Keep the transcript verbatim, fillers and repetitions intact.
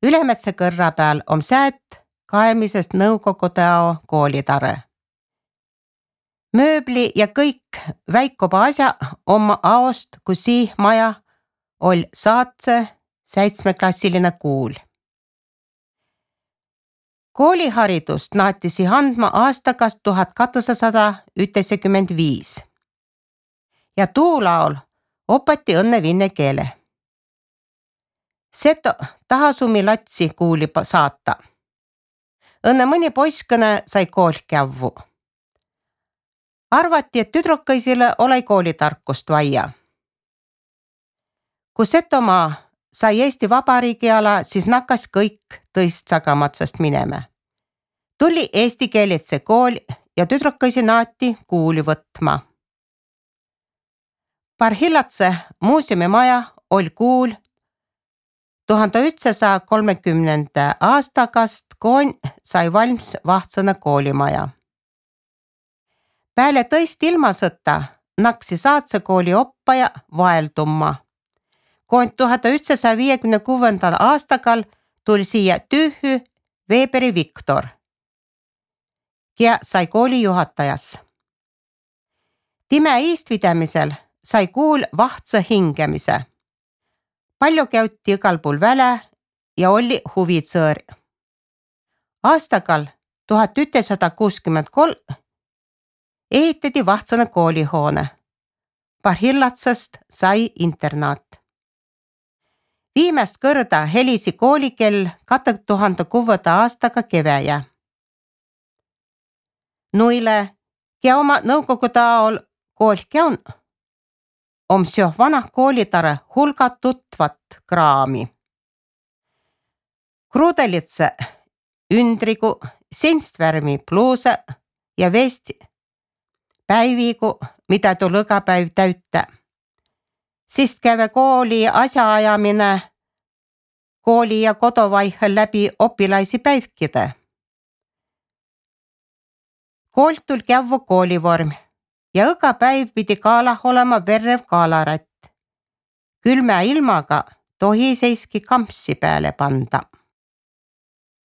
Ülemetsa kõrra peal on säät kaemisest Nõukogude ao koolitare. Mööbli ja kõik väikoba asja oma aost, kus sii maja ol saatse seitsmeklassiline kuul. Kooliharidust naatisi andma aastakast tuhat kahteksasada üheksakümmend viis ja tuulaol opati õnne vinne keele. Seto tahasumi latsi kuuli saata. Õnne mõni poiskõne sai kool kävvu. Arvati, et tüdrukaisile ole koolitarkust vaia. Kui Setomaa sai Eesti Vabariigi ala, siis nakkas kõik tõist sagamatsast minema. Tuli eesti keelitse kool ja tüdrukaisi naati kuuli võtma. Parhilatse muuseumi maja oli kuul tuhande üheksasaja kolmekümnenda aastakast, koon sai valmis vahtsana koolimaja. Peale tõist ilmasõtta naksi saatse kooli oppaja vaeldumma. Koon tuhande üheksasaja viiekümne kuuendal aastakal tuli siia tühü Weberi Viktor, ja sai kooli juhatajas. Time iistpidamisel sai kuul vahtsa hingemise. Palju käuti igal pool väle ja oli huvitsõõr. Aastakal tuhat üheksasada kuuskümmend kolm ehitati vahtsana koolihoone. Parhillatsast sai internaat. Viimast kõrda helisi koolikell kahe tuhande kuuenda aastaga keväjä. Nuile, ja oma Nõukogude aol kool käun, om seo vanah koolitare hulga tutvat kraami. Kruudelitse ündrigu, sinstvärmi pluuse ja vesti päivigu, mida tul iga päiv täytta. Sist käve kooli asjaajamine kooli ja kodu vaihel läbi opilaisi päivkide. Koolt tul kävvu koolivorm ja iga päiv pidi kaalah olema verrev kaalarätt. Külmä ilmaga tohi seiski kampsi peale panda.